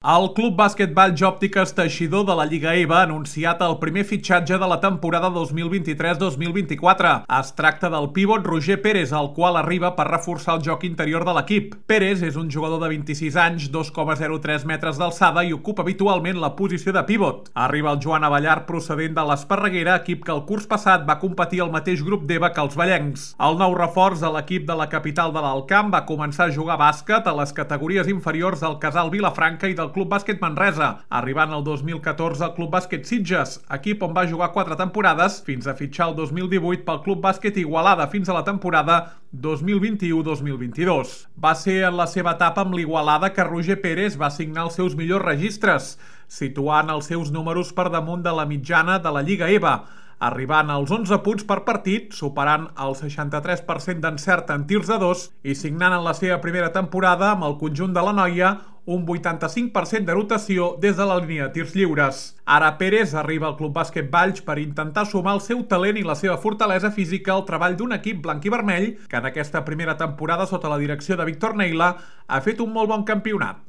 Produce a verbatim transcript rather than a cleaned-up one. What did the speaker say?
El Club Bàsquet Valls Òptiques Teixidor de la Lliga E V A ha anunciat el primer fitxatge de la temporada dos mil vint-i-tres dos mil vint-i-quatre. Es tracta del pivot Roger Pérez, el qual arriba per reforçar el joc interior de l'equip. Pérez és un jugador de vint-i-sis anys, dos coma zero tres metres d'alçada i ocupa habitualment la posició de pivot. Arriba el Joan Abellar procedent de l'Esparreguera, equip que el curs passat va competir al mateix grup d'E V A que els vallencs. El nou reforç de l'equip de la capital de l'Alt Camp va començar a jugar bàsquet a les categories inferiors del Casal Vilafranca i del Club Bàsquet Manresa, arribant el dos mil catorze al Club Bàsquet Sitges, equip on va jugar quatre temporades fins a fitxar el dos mil divuit pel Club Bàsquet Igualada fins a la temporada dos mil vint-i-u dos mil vint-i-dos. Va ser en la seva etapa amb l'Igualada que Roger Pérez va signar els seus millors registres, situant els seus números per damunt de la mitjana de la Lliga E V A, arribant als onze punts per partit, superant el seixanta-tres per cent d'encert en tirs de dos i signant en la seva primera temporada amb el conjunt de la Noia un vuitanta-cinc per cent de rotació des de la línia de tirs lliures. Ara Pérez arriba al Club Bàsquet Valls per intentar sumar el seu talent i la seva fortalesa física al treball d'un equip blanc i vermell que en aquesta primera temporada sota la direcció de Víctor Neila ha fet un molt bon campionat.